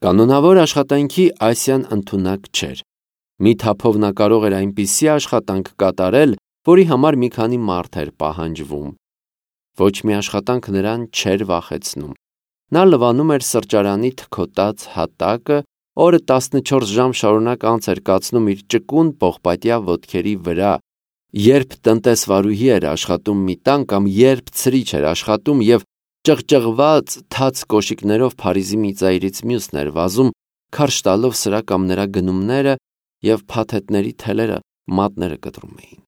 Կանոնավոր աշխատանքի Ասիան ընդունակ չէր։ Մի թափով նա կարող էր այնպիսի աշխատանք կատարել, որի համար մի քանի մարդ էր պահանջվում։ Ոչ մի աշխատանք նրան չէր վախեցնում։ Նա լվանում էր սրճարանի թքոտած հատակը, օրը 14 ժամ շարունակ անց էր կացնում իր ճկուն պողպատյա ոտքերի վրա, երբ տնտեսվարուհի էր աշխատում մի տան կամ երբ ցրիչ էր աշխատում և ճղճղված թաց կոշիկներով Փարիզի մի ծայրից մյուսն էր վազում, քարշ տալով սրա կամ նրա գնումները և փաթեթների թելերը մատները կտրում էին։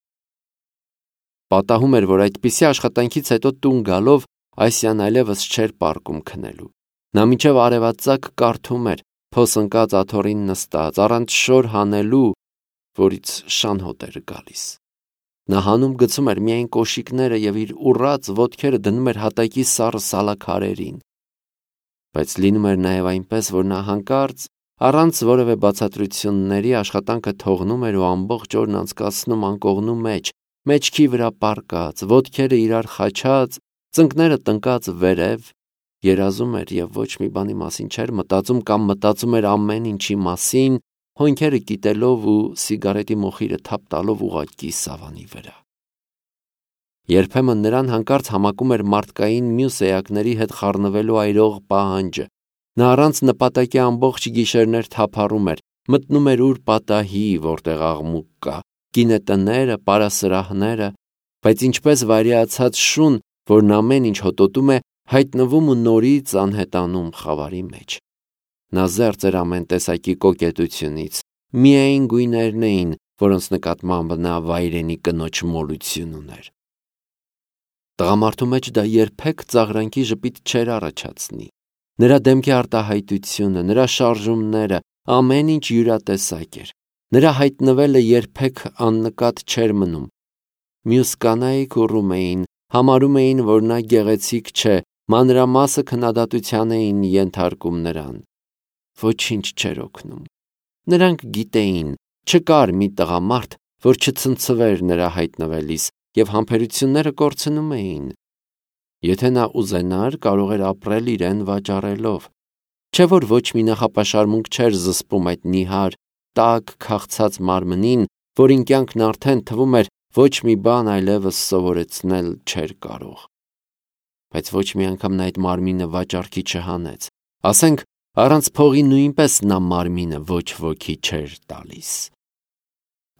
Պատահում էր, որ այդպիսի աշխատանքից հետո տուն գալով Ասիան այլևս չէր պարկում քնելու։ Նա մինչև արևածագ կարդում էր, փոս ընկած աթոռին նստած, առանց շոր հանելու, որից շան հոտ էր գալիս։ Նա հանում գցում էր միայն կոշիկները և իր ուռած ոտքերը դնում էր հատակի սառը սալաքարերին։ Բայց լինում էր նաև այնպես, որ նա հանկարծ առանց որևէ բացատրությունների աշխատանքը թողնում էր ու ամբողջ օրն անցկացնում անկողնու մեջ, մեջքի վրա պառկած, ոտքերը իրար խաչած, ծնկները տնկած վերև, երազում էր և ոչ մի բանի մասին չէր մտածում կամ մտածում էր ամեն ինչի մասին, հոնքերը կիտելով ու սիգարետի մոխիրը թափ տալով ուղղակի սավանի վրա։ Երբեմն նրան հանկարծ համակում էր մարդկային մյուս էակների հետ խառնվելու այրող պահանջը։ Նա առանց նպատակի ամբողջ գիշերներ թափառում էր, մտնում էր ուր պատահի, որտեղ աղմուկ կա, գինետները, պարասրահները, բայց ինչպես վայրիացած շուն, որն ամեն ինչ հոտոտում է, հայտնվում ու նորից անհետանում խավարի մեջ։ Նա զերծ էր ամեն տեսակի կոկետությունից, միայն գույներն էին, որոնց նկատմամբ նա վայրենի կնոջ մոլություն ուներ։ Տղամարդու մեջ դա երբեք ծաղրանքի ժպիտ չէր առաջացնի։ Նրա դեմքի արտահայտությունը, նրա շարժումները, ամեն ինչ յուրատեսակ էր։ Նրա հայտնվելը երբեք աննկատ չէր մնում։ Մյուս կանայք ուռում էին, համարում էին, որ նա գեղեցիկ չէ, մանրամասը քննադատության էին ենթարկում նրան։ Ոչինչ չէր օգնում։ Նրանք գիտեին, չկար մի տղամարդ, որ չցնցվեր նրա հայտնվելիս, և համբերությունները կորցնում էին։ Եթե նա ուզենար, կարող էր ապրել իրեն վաճառելով։ Չէ՞ որ ոչ մի նախապաշարմունք չէր զսպում այդ նիհար, տաք քաղցած մարմնին, որին կյանքն արդեն թվում էր ոչ մի բան այլևս սովորեցնել չէր կարող։ Բայց ոչ մի անգամ նա այդ մարմինը վաճառքի չհանեց։ Ասենք, առանց փողի նույնպես նա մարմինը ոչ ոքի չէր տալիս։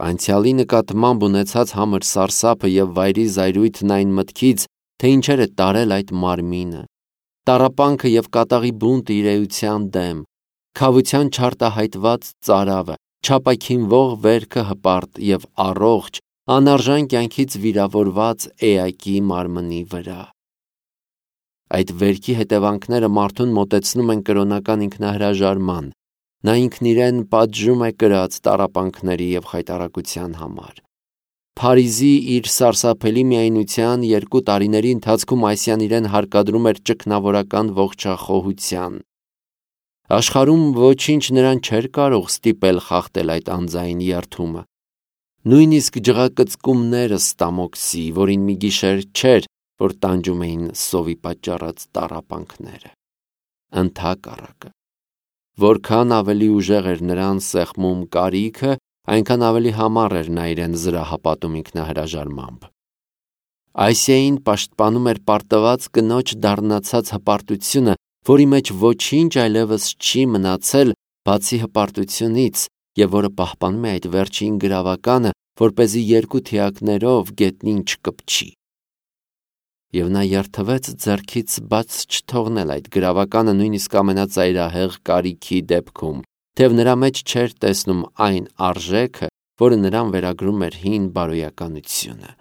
Անցյալի նկատմամբ ունեցած համր սարսափը և վայրի զայրույթն այն մտքից, թե ինչեր է տարել այդ մարմինը, տառապանքը և կատաղի բունտը իր էության դեմ, քավության չարտահայտված ծարավը, չապաքինվող վերքը հպարտ և առողջ, անարժան կյանքից վիրավորված էակի մարմնի վրա։ Այդ վերքի հետևանքները մարդուն մոտեցնում են կրոնական ինքնահրաժարման։ Նա ինքն իրեն պատժում է կրած տառապանքների և խայտառակության համար։ Փարիզի իր սարսափելի միայնության 2 տարիների ընթացքում Ասիան իրեն հարկադրում էր ճգնավորական ողջախոհության։ Աշխարհում ոչինչ նրան չէր կարող ստիպել խախտել այդ անձայն երդումը։ Նույնիսկ ջղակծկումները Ստամոքսի, որին մի գիշեր չէր, որ տանջում էին սովի պատճառած տառապանքները։ Ընդհակառակը, որքան ավելի ուժեղ էր նրան սեղմում կարիքը, այնքան ավելի համառ էր նա իրեն զրահապատում ինքնահրաժարմամբ։ Ասիային պաշտպանում էր պարտված կնոջ դառնացած հպարտությունը, որի մեջ ոչինչ այլևս չի մնացել, բացի հպարտությունից, և որը պահպանում է այդ վերջին գրավականը, որպեսզի 2 թիակներով գետնին չկպչի։ Եվ նա երդվեց ձեռքից բաց չթողնել այդ գրավականը նույնիսկ ամենածայրահեղ կարիքի դեպքում, թեև նրա մեջ չէր տեսնում այն արժեքը, որը նրան վերագրում էր հին բարոյականությունը։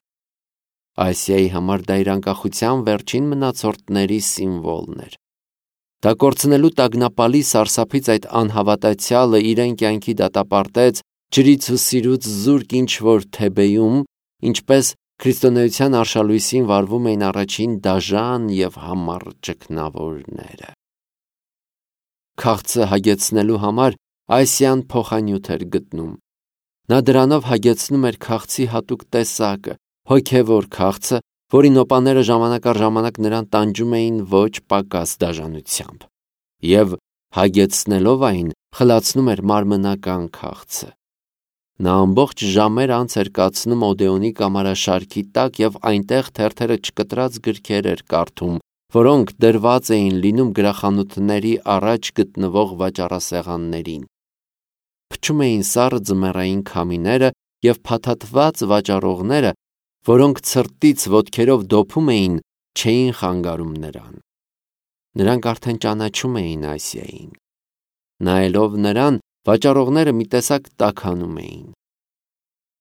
Ասիայի համար դա իր անկախության վերջին մնացորդների սիմվոլն էր։ Դա կորցնելու տագնապալի սարսափից այդ անհավատացյալը իրեն կյանքի դատապարտեց ջրից ու սիրուց զուրկ ինչ-որ Թեբեյում, ինչպես քրիստոնեության արշալույսին վարվում էին առաջին դաժան և համառ ճգնավորները։ Քաղցը հագեցնելու համար Ասիան փոխանյութ էր գտնում։ Նա դրանով հագեցնում էր քաղցի հատուկ տեսակը, հոգևոր քաղցը, որի նոպաները ժամանակ առ ժամանակ նրան տանջում էին ոչ պակաս դաժանությամբ։ Եվ հագեցնելով այն, խլացնում էր մարմնական քաղցը։ Նա ամբողջ ժամեր անց էր կացնում Օդեոնի կամարաշարքի տակ և այնտեղ թերթերը չկտրած գրքեր էր կարդում, որոնք դրված էին լինում գրախանութների առաջ գտնվող վաճառասեղաններին։ Փչում էին սառը ձմեռային քամիները և փաթաթված վաճառողները, որոնք ցրտից ոտքերով դոփում էին, չէին խանգարում նրան։ Նրանք արդեն ճանաչում էին Ասիային։ Նայելով նրան, վաճառողները մի տեսակ տաքանում էին։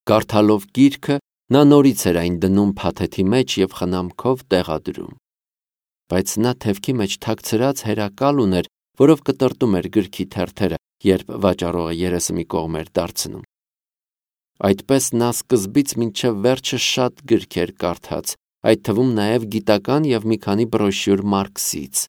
Կարդալով գիրքը, նա նորից էր այն դնում փաթեթի մեջ և խնամքով տեղադրում։ Բայց նա թևքի մեջ թաքցրած հերակալ ուներ, որով կտրտում էր գրքի թերթերը, երբ վաճառողը երեսը մի կողմ էր դարձնում։ Այդպես նա սկզբից մինչև վերջը շատ գրքեր կարդաց, այդ թվում նաև գիտական և մի քանի բրոշյուր Մարքսից։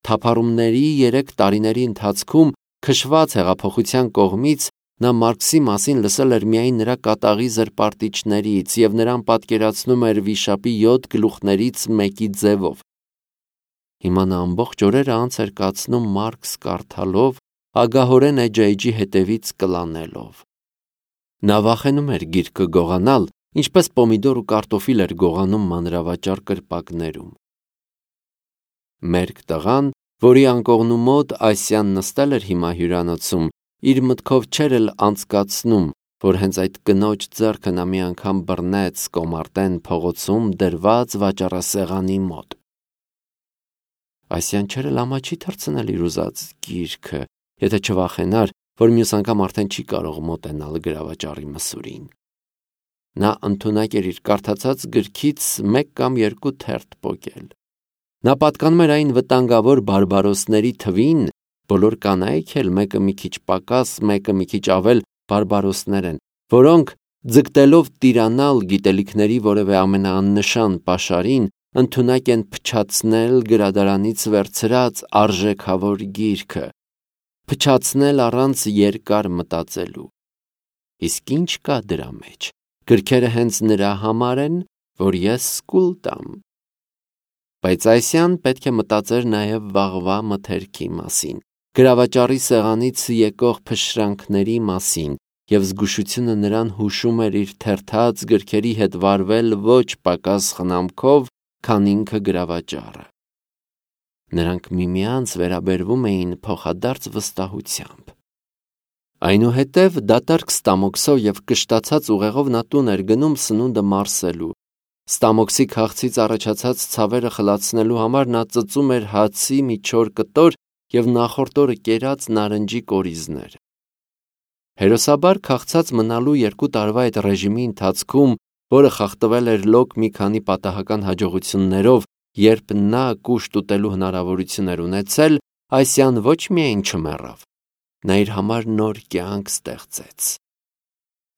Թափառումների 3 տարիների ընթացքում քշված հեղափոխության կողմից նա Մարքսի մասին լսել էր միայն նրա կատաղի զրպարտիչներից և նրան պատկերացնում էր վիշապի 7 գլուխներից մեկի ձևով։ Հիմա նա ամբողջ օրերը անց էր կացնում Մարքս կարդալով, ագահորեն էջայջի հետևից կլանելով։ Նա վախենում էր գիրքը գողանալ, ինչպես պոմիդոր ու կարտոֆիլ էր գողանում մանրավաճառ կրպակներում։ Մերկ տղան, որի անկողնու մոտ Ասիան նստել էր հիմա հյուրանոցում, իր մտքով չէր էլ անցկացնում, որ հենց այդ կնոջ ձեռքը նա մի անգամ բռնեց Կոմարտեն փողոցում դրված վաճառասեղանի մոտ։ Ասիան չէր էլ ամաչի թռցնել իր ուզած գիրքը, եթե չվախենար, որ մյուս անգամ արդեն չի կարող մոտենալ գրավաճառի մսուրին։ Նա ընդունակ էր իր կարդացած գրքից 1 կամ 2 թերթ պոկել։ Նա պատկանում էր այն վտանգավոր բարբարոսների թվին, բոլոր կանայք էլ մեկը մի քիչ պակաս, մեկը մի քիչ ավել բարբարոսներ են, որոնք ձգտելով տիրանալ գիտելիքների որևէ ամենաաննշան պաշարին, ընդունակ են փչացնել գրադարանից վերցրած արժեքավոր գիրքը, փչացնել առանց երկար մտածելու։ Իսկ ինչ կա դրա մեջ։ Գրքերը հենց նրա համար են, որ ես սկուլ տամ։ Բայց Ասիան պետք է մտածեր նաև վաղվա մթերքի մասին, գրավաճառի սեղանից եկող փշրանքների մասին, և զգուշությունը նրան հուշում էր իր թերթած գրքերի հետ վարվել ոչ պակաս խնամքով, քան ինքը գրավաճառը։ Նրանք միմյանց վերաբերվում էին փոխադարձ վստահությամբ։ Այնուհետև դատարկ ստամոքսով և կշտացած ուղեղով նա տուն էր գնում սնունդը մարսելու։ Ստամոքսի քաղցից առաջացած ցավերը խլացնելու համար նա ծծում էր հացի մի չոր կտոր և նախորդ օրը կերած նարնջի կորիզներ։ Հերոսաբար քաղցած մնալու 2 տարվա այդ ռեժիմի ընթացքում, որը խախտվել էր լոկ մի քանի պատահական հաջողություններով, երբ նա կուշտ ուտելու հնարավորություն էր ունեցել, Ասիան ոչ միայն չմեռավ, նա իր համար նոր կյանք ստեղծեց։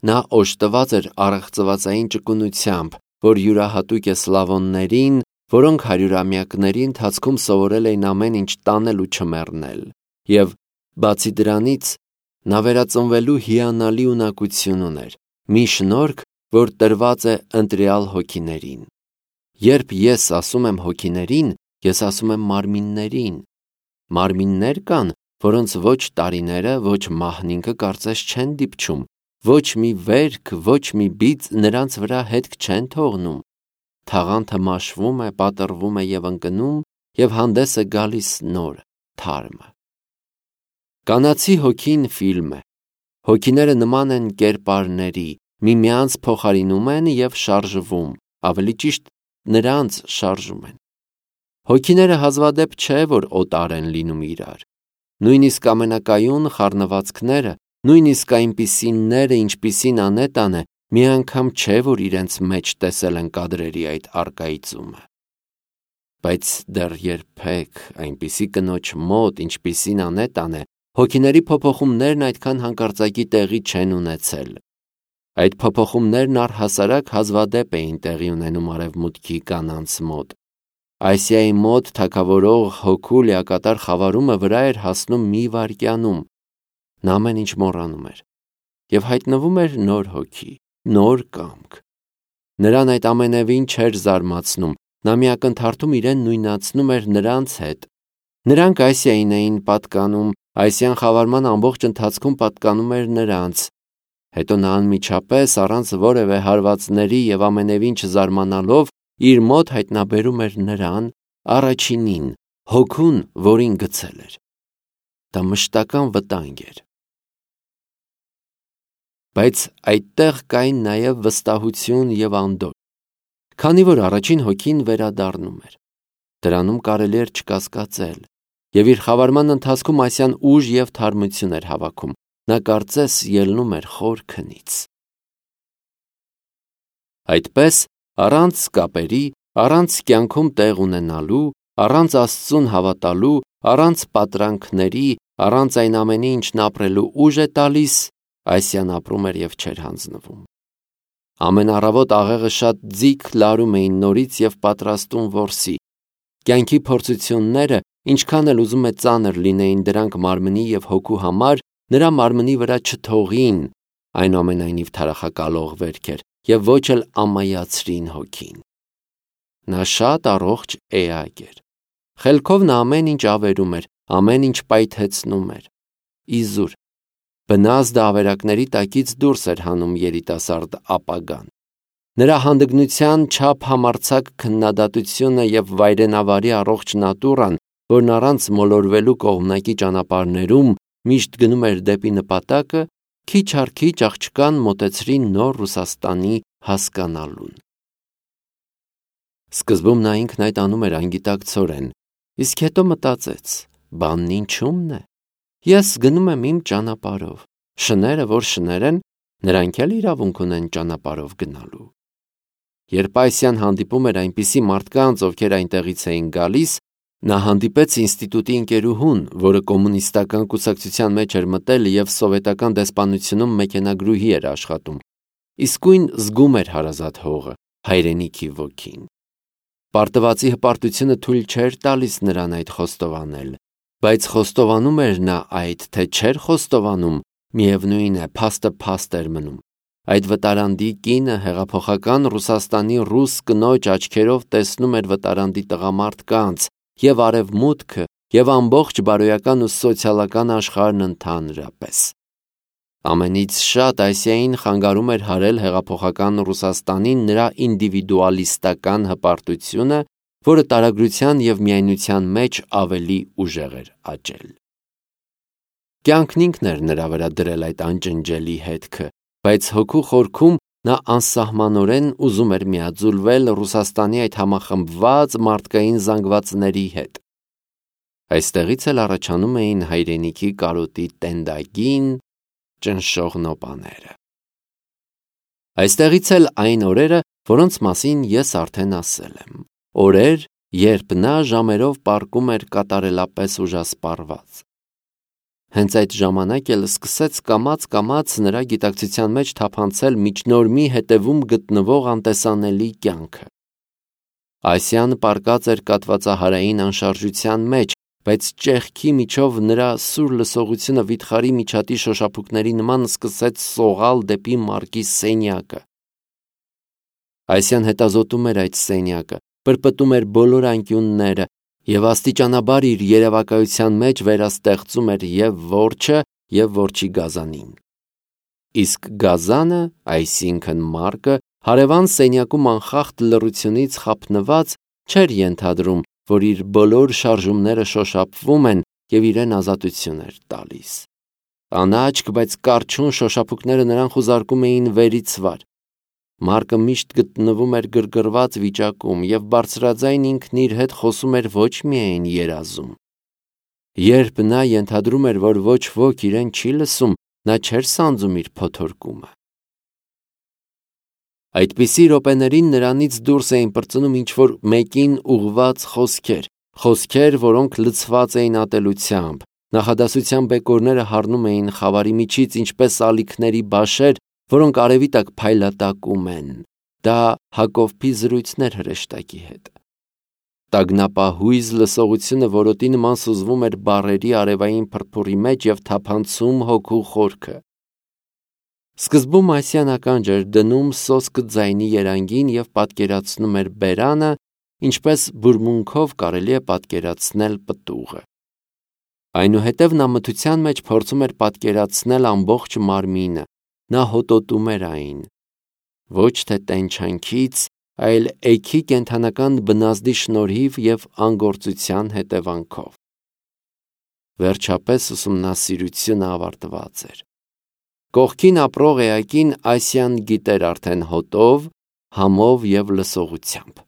Նա օժտված էր առեղծվածային ճկունությամբ, որ յուրահատուկ է սլավոններին, որոնք հարյուրամյակների ընթացքում սովորել էին ամեն ինչ տանել ու չմեռնել, և, բացի դրանից, նա վերածնվելու հիանալի ունակություն ուներ, մի շնորհք, որ տրված է ընտրյալ հոգիներին։ Երբ ես ասում եմ հոգիներին, ես ասում եմ մարմիններին։ Մարմիններ կան, որոնց ոչ տարիները, ոչ մահնինքը կարծես չեն դիպչում, ոչ մի վերք, ոչ մի բիծ նրանց վրա հետք չեն թողնում։ Թաղանթը մաշվում է, պատռվում է և ընկնում, և հանդես է գալիս նոր, թարմը։ Կանացի հոգին ֆիլմ է։ Հոգիները նման են կերպարների, միմյանց փոխարինում են և շարժվում, ավելի ճիշտ նրանց շարժում են։ Հոգիները հազվադեպ չէ, որ օտար են լինում իրար։ Նույնիսկ ամենակայուն խառնվածքները, նույնիսկ այնպիսիները, ինչպիսին Անետան է, մի անգամ չէ, որ իրենց մեջ տեսել են կադրերի այդ առկայծումը։ Բայց դեռ երբեք այնպիսի կնոջ մոտ, ինչպիսին Անետան է, հոգիների փոփոխումներն այդքան հանկարծակի տեղի չեն ունեցել։ Այդ փոփոխումներն առհասարակ հազվադեպ էին տեղի ունենում արևմուտքի կանանց մոտ։ Ասիայի մոտ թագավորող հոգու լիակատար խավարումը վրա էր հասնում մի վայրկյանում։ Նա ամեն ինչ մոռանում էր և հայտնվում էր նոր հոգի, նոր կամք։ Նրան այդ ամենևին չէր զարմացնում, նա մի ակնթարթում իրեն նույնացնում էր նրանց հետ։ Նրանք Ասիային էին պատկանում, Ասիան խավարման ամբողջ ընթացքում պատկանում էր նրանց։ Հետո նա անմիջապես, առանց որևէ հարվածների եւ ամենևին չզարմանալով, իր մոտ հայտնաբերում էր նրան, առաջինին, հոգուն, որին գցել էր։ Դա մշտական վտանգ էր։ Բայց այդտեղ կային նաև վստահություն եւ անդորր, քանի որ առաջին հոգին վերադառնում էր։ Դրանում կարելի էր չկասկածել, եւ իր խավարման ընթացքում Ասիան ուժ եւ թարմություն էր հավաքում։ Նա կարծես ելնում էր խոր քնից։ Այդպես, առանց կապերի, առանց կյանքում տեղ ունենալու, առանց Աստծուն հավատալու, առանց պատրանքների, առանց այն ամենի, ինչն ապրելու ուժ է տալիս, Ասիան ապրում էր եւ չէր հանձնվում։ Ամեն առավոտ աղեղը շատ ձիգ լարում էին նորից եւ պատրաստում որսի։ Կյանքի փորձությունները, ինչքան էլ ուզում է ծանր լինեին դրանք մարմնի եւ հոգու համար, նրա մարմնի վրա չթողին, այնուամենայնիվ թարախակալող վերք էր եւ ոչ էլ ամայացրին հոգին։ Նա շատ առողջ էակ էր։ Խելքով նա ամեն ինչ ավերում էր, ամեն ինչ պայթեցնում էր։ Իզուր բնազդ ավերակների տակից դուրս էր հանում երիտասարդ ապագան։ Նրա հանդգնության չափ համարձակ քննադատությունը եւ վայրենավարի առողջ նատուրան, որն առանց մոլորվելու կողմնակի ճանապարհներում միշտ գնում էր դեպի նպատակը, քիչ առ քիչ աղջկան մոտեցրին նոր Ռուսաստանի հասկանալուն։ Սկզբում նա ինքն այդ անում էր անգիտակցորեն, իսկ հետո մտածեց. բանն ինչումն է։ Ես գնում եմ իմ ճանապարհով։ Շները, որ շներ են, նրանք էլ իրավունք ունեն ճանապարհով գնալու։ Երբ Ասիան հանդիպում էր այնպիսի մարդկանց, ովքեր այնտեղից էին գալիս, նա հանդիպեց ինստիտուտի ընկերուհուն, որը կոմունիստական կուսակցության մեջ էր մտել եւ սովետական դեսպանությունում մեքենագրուհի էր աշխատում։ Իսկույն զգում էր հարազատ հողը, հայրենիքի ոգին։ Պարտվածի հպարտությունը թույլ չէր տալիս նրան այդ խոստովանել, բայց խոստովանում էր նա այդ, թե չէր խոստովանում, միևնույն է, փաստը փաստ էր մնում։ Այդ վտարանդի կինը հեղափոխական Ռուսաստանի ռուս կնոջ աչքերով տեսնում էր վտարանդի տղամարդկանց եւ արևմուտքը եւ ամբողջ բարոյական ու սոցիալական աշխարհն ընդհանրապես։ Ամենից շատ Ասիային խանգարում էր հարել հեղափոխական Ռուսաստանին նրա ինդիվիդուալիստական հպարտությունը, որը տարագրության եւ միայնության մեջ ավելի ուժեղ էր աճել։ Կյանքն ինքն էր նրա վրա դրել այդ անջնջելի հետքը, բայց հոգու խորքում նա անսահմանորեն ուզում էր միաձուլվել Ռուսաստանի այդ համախմբված մարդկային զանգվածների հետ։ Այստեղից էլ առաջանում էին հայրենիքի կարոտի տենդագին ճնշող նոպաները։ Այստեղից էլ այն օրերը, որոնց մասին ես արդեն ասել եմ։ Օրեր, երբ նա ժամերով պառկում էր կատարելապես ուժասպառված։ Հենց այդ ժամանակ էլ սկսեց կամաց-կամաց նրա գիտակցության մեջ թափանցել միջնորմի հետևում գտնվող անտեսանելի կյանքը։ Ասիան պառկած էր կատվածահարային անշարժության մեջ, բայց ճեղքի միջով նրա սուր լսողությունը վիթխարի միջատի շոշափուկների նման սկսեց սողալ դեպի մարկի սենյակը։ Ասիան հետազոտում էր այդ սենյակը, պրպտում էր բոլոր անկյունները եւ աստիճանաբար իր երևակայության մեջ վերաստեղծում էր եւ որջը եւ որջի գազանին։ Իսկ գազանը, այսինքն մարկը, հարևան սենյակում անխախտ լռությունից խափնված չէր ենթադրում, որ իր բոլոր շարժումները շոշափվում են եւ իրեն ազատություն էր տալիս։ Անաչք, բայց կարճուն շոշափուկները նրան խուզարկում էին վերից վար։ Մարկը միշտ գտնվում էր գրգռված վիճակում եւ բարձրաձայն ինքն իր հետ խոսում էր ոչ միայն երազում։ Երբ նա ենթադրում էր, որ ոչ ոք իրեն չի լսում, նա չէր սանձում իր փոթորկումը։ Այդպիսի րոպեներին նրանից դուրս էին պրծնում ինչ-որ մեկին ուղված խոսքեր, որոնք լցված էին ատելությամբ։ Նախադասության բեկորները հառնում էին խավարի միջից ինչպես ալիքների բաշեր, որոնք արևի տակ փայլատակում են։ Դա Հակոբի զրույցներ հրեշտակի հետ։ Տագնապահույզ լսողությունը որոտի նման սուզվում էր բառերի արևային փրփուրի մեջ եւ թափանցում հոգու խորքը։ Սկզբում Ասիան ականջ էր դնում սոսկը ձայնի երանգին եւ պատկերացնում էր բերանը, ինչպես բուրմունքով կարելի է պատկերացնել պտուղը։ Այնուհետև նա մթության մեջ փորձում էր պատկերացնել ամբողջ մարմինը, նա հոտոտում էր այն, ոչ թե տենչանքից, այլ էգի կենդանական բնազդի շնորհիվ և անգործության հետևանքով։ Վերջապես ուսումնասիրությունը ավարտված էր։ Կողքին ապրող էակին Ասիան գիտեր արդեն հոտով, համով և լսողությամբ։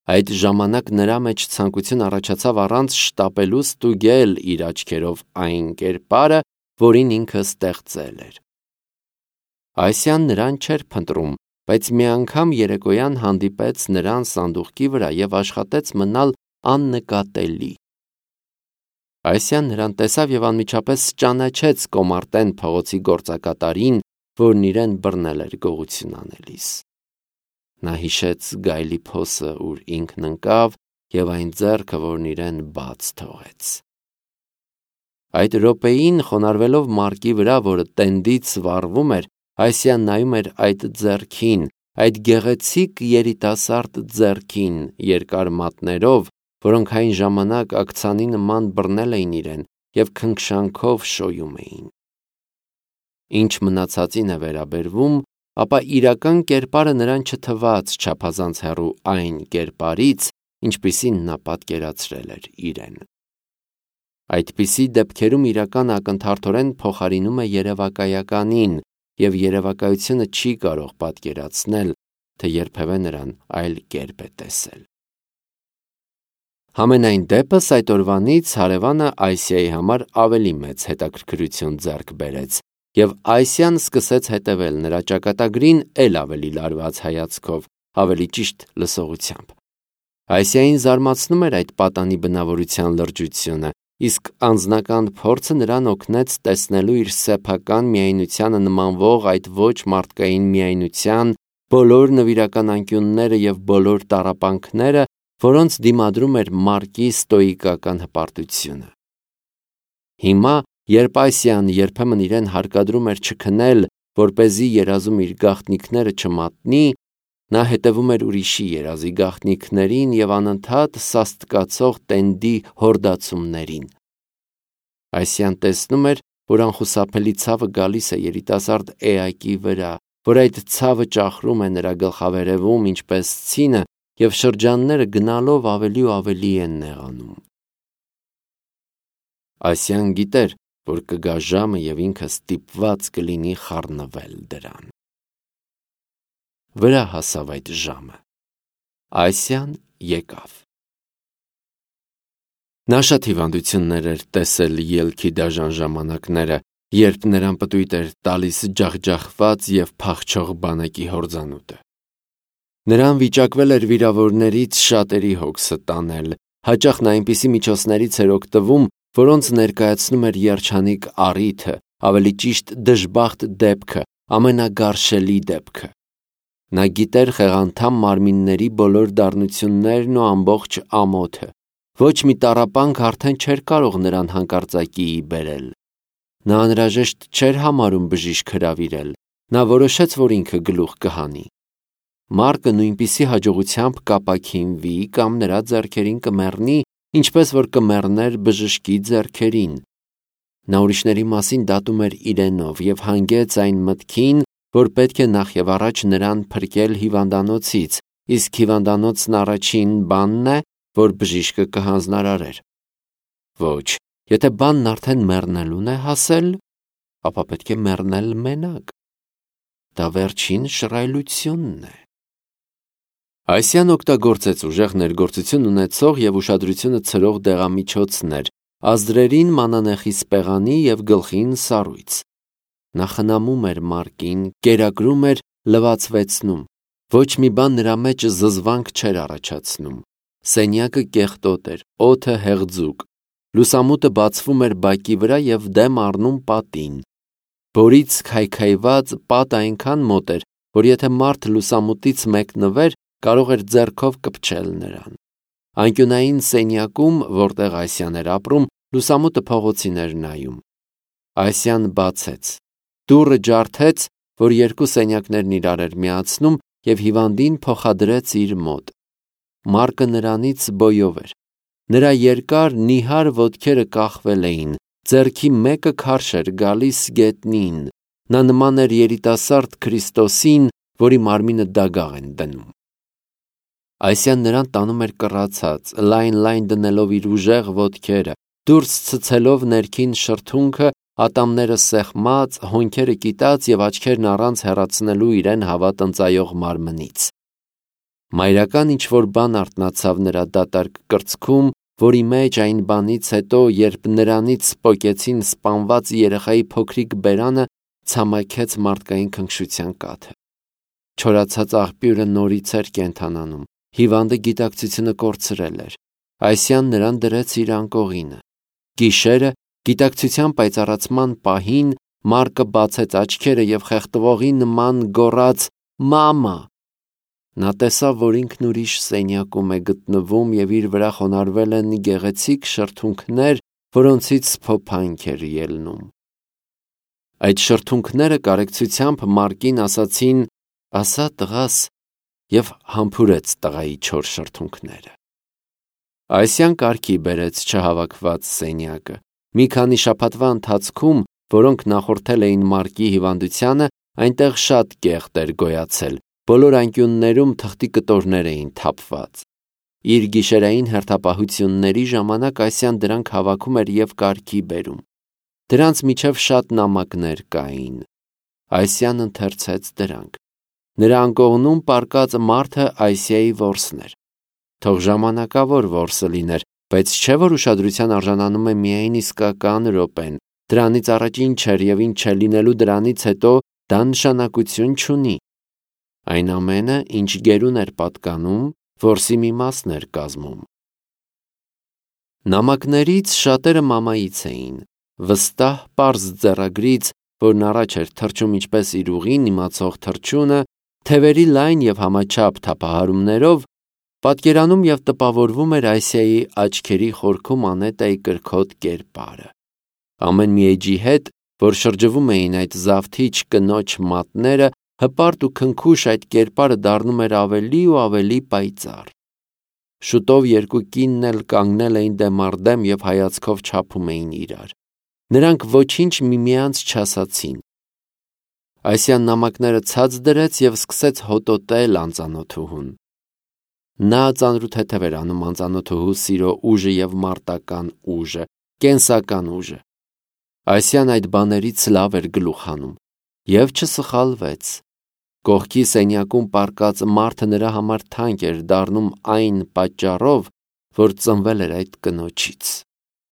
Այդ ժամանակ նրա մեջ ցանկություն առաջացավ առանց շտապելու ստուգել իր աչքերով այն կերպարը, որին ինքը ստեղծել էր։ Ասիան նրան չէր փնտրում, բայց մի անգամ երեկոյան հանդիպեց նրան սանդուղքի վրա և աշխատեց մնալ աննկատելի։ Ասիան նրան տեսավ և անմիջապես ճանաչեց Կոմարտեն փողոցի գործակատարին, որն իրեն բռնել էր գողություն անելիս։ Նա հիշեց գայլի փոսը, ուր ինքն ընկավ, և այն ձեռքը, որն իրեն բաց թողեց։ Այդ րոպեին, խոնարհվելով Մարկի վրա, որը տենդից վառվում էր, Ասիան նայում էր այդ ձեռքին, այդ գեղեցիկ երիտասարդ ձեռքին, երկար մատներով, որոնք այն ժամանակ աքցանի նման բռնել էին իրեն և քնքշանքով շոյում էին։ Ինչ մնացածին է վերաբերվում, ապա իրական կերպարը նրան չթվաց չափազանց հեռու այն կերպարից, ինչպիսին նա պատկերացրել էր իրեն։ Այդպիսի դեպքերում իրականը ակնթարթորեն փոխարինում է երևակայականին, և երևակայությունը չի կարող պատկերացնել, թե երբևէ նրան այլ կերպ է տեսել։ Համենայն դեպս այդ օրվանից հարևանը Ասիայի համար ավելի մեծ հետաքրքրություն ձեռք բերեց, և Ասիան սկսեց հետևել նրա ճակատագրին էլ ավելի լարված հայացքով, ավելի ճիշտ լսողությամբ։ Ասիային զարմացնում էր այդ պատանի բնավորության լրջությունը, իսկ անձնական փորձը նրան օգնեց տեսնելու իր սեփական միայնությանը նմանվող այդ ոչ մարդկային միայնության բոլոր նվիրական անկյունները և բոլոր տառապանքները, որոնց դիմադրում էր Մարկի ստոիկական հպարտությունը։ Հիմա, երբ Ասիան երբեմն իրեն հարկադրում էր չքնել, որպեսզի երազում իր գաղտնիքները չմատնի, նա հետևում էր ուրիշի երազի գաղտնիքներին և անընդհատ սաստկացող տենդի հորդացումներին։ Ասիան տեսնում էր, որ անխուսափելի ցավը գալիս է երիտասարդ էակի վրա, որ այդ ցավը ճախրում է նրա գլխավերևում ինչպես ցինը, և շրջանները գնալով ավելի ու ավելի են նեղանում։ Ասիան գիտեր, որ կգա ժամը, և ինքը ստիպված կլինի խառնվել դրան։ Վրա հասավ այդ ժամը։ Ասիան եկավ։ Նա շատ հիվանդություններ էր տեսել ելքի դաժան ժամանակները, երբ նրան պտույտ էր տալիս ջախջախված և փախչող բանակի հորձանուտը։ Նրան վիճակվել էր վիրավորներից շատերի հոգսը տանել, հաճախ նա այնպիսի միջոցներից էր օգտվում, որոնց ներկայացնում էր երջանիկ առիթը, ավելի ճիշտ դժբախտ դեպքը, ամենագարշելի դեպքը։ Նա գիտեր խեղանդամ մարմինների բոլոր դառնություններն ու ամբողջ ամոթը։ Ոչ մի տառապանք արդեն չէր կարող նրան հանկարծակիի բերել։ Նա անհրաժեշտ չէր համարում բժիշկ հրավիրել, նա որոշեց, որ ինքը գլուխ կհանի։ Մարկը նույնպիսի հաջողությամբ կապաքինվի կամ նրա ձեռքերին կմեռնի, ինչպես որ կմեռներ բժշկի ձեռքերին։ Նա ուրիշների մասին դատում էր իրենով և հանգեց այն մտքին, որ պետք է նախ և առաջ նրան փրկել հիվանդանոցից, իսկ հիվանդանոցն առաջին բանն է, որ բժիշկը կհանձնարարեր։ Ոչ, եթե բանն արդեն մեռնելուն է հասել, ապա պետք է մեռնել մենակ։ Դա վերջին շռայլությունն է։ Ասիան օգտագործեց ուժեղ ներգործություն ունեցող և ուշադրությունը ցրող դեղամիջոցներ, ազդրերին մանանեխի սպեղանի և գլխին սառույց։ Նա խնամում էր Մարկին, կերակրում էր, լվացվեցնում։ Ոչ մի բան նրա մեջ զզվանք չէր առաջացնում։ Սենյակը կեղտոտ էր, օդը հեղձուկ։ Լուսամուտը բացվում էր բակի վրա և դեմ առնում պատին։ Բորից քայքայված պատը այնքան մոտ էր, որ եթե մարդ լուսամուտից մեկնվեր, կարող էր ձեռքով կպչել նրան։ Անկյունային սենյակում, որտեղ Ասիան էր ապրում, լուսամուտը փողոցին էր նայում։ Ասիան բացեց։ Դուռը ջարդեց, որ երկու սենյակներն իրար էր միացնում, և հիվանդին փոխադրեց իր մոտ։ Մարկը նրանից բոյով էր։ Նրա երկար նիհար ոտքերը կախվել էին, ձեռքի մեկը քարշ էր գալիս գետնին, նա նման էր երիտասարդ Քրիստոսին, որի մարմինը դագաղ են դնում։ Այսյան նրան տանում էր կռացած, լայն դնելով իր ուժեղ ոտքերը, դուրս ցցելով ներքին շրթունքը, ատամները սեղմած, հոնքերը կիտած եւ աչքերն առանց հեռացնելու իրեն հավատ ընծայող մարմնից։ Մայրական ինչ-որ բան արթնացավ նրա դատարկ կրծքում, որի մեջ այն բանից հետո, երբ նրանից սպոկեցին սպանված երեխայի փոքրիկ բերանը, ցամաքեց մարդկային քնքշության կաթը։ Չորացած աղբյուրը նորից էր կենթանանում, հիվանդը գիտակցությունը կորցրել էր։ Այսյան նրան դրեց իր անկողինը։ Գիշերը, գիտակցության պայծառացման պահին, Մարկը բացեց աչքերը եւ խեղդվողի նման գոռաց. «Մամա»։ Նա տեսավ, որ ինքն ուրիշ սենյակում է գտնվում եւ իր վրա խոնարհվել են գեղեցիկ շրթունքներ, որոնցից սփոփանք էր ելնում։ Այդ շրթունքները կարեկցությամբ Մարկին ասացին. «Ասա տղաս», եւ համբուրեց տղայի չոր շրթունքները։ Այսյան կարգի բերեց չհավաքված սենյակը։ Մի քանի շաբաթվա ընթացքում, որոնք նախորդել էին Մարկի հիվանդությանը, այնտեղ շատ կեղտ էր գոյացել, բոլոր անկյուններում թղթի կտորներ էին թափված։ Իր գիշերային հերթապահությունների ժամանակ Այսյան դրանք հավաքում էր եւ կարգի բերում։ Դրանց միջև շատ նամակներ կային։ Այսյան ընթերցեց դրանք։ Նրա անկողնում պառկած մարդը Այսիայի որսն էր։ Թող ժամանակավոր որսը լիներ, բայց չէ որ ուշադրության արժանանում է միայն իսկական րոպեն, դրանից առաջ ինչ էր եւ ինչ է լինելու դրանից հետո, դա նշանակություն չունի։ Այն ամենը, ինչ գերուն էր պատկանում, որսի մի մասն էր կազմում։ Նամակներից շատերը մամայից էին, վստահ պարզ ձեռագրից, որն առաջ էր թռչում ինչպես իր ուղին իմացող թռչյունը, թևերի լայն եւ համաչափ թափահարումներով, պատկերանում եւ տպավորվում էր Այսիայի աչքերի խորքում Անետայի կրքոտ կերպարը։ Ամեն մի էջի հետ, որ շրջվում էին այդ զավթիչ կնոջ մատները, հպարտ ու քնքուշ այդ կերպարը դառնում էր ավելի ու ավելի պայծառ։ Շուտով երկու կինն էլ կանգնել էին դեմ առ դեմ եւ հայացքով չափում էին իրար։ Նրանք ոչինչ միմյանց չասացին։ Այսյան նամակները ցած դրեց եւ սկսեց հոտոտել անծանոթուհուն։ Նա ծանրութեթև էր անում անծանոթուհու սիրո ուժը եւ մարտական ուժը, կենսական ուժը։ Այսյան այդ բաներից լավ էր գլուխ հանում եւ չսխալվեց։ Կողքի սենյակում պառկած մարդը նրա համար թանկ էր դառնում այն պատճառով, որ ծնվել էր այդ կնոջից։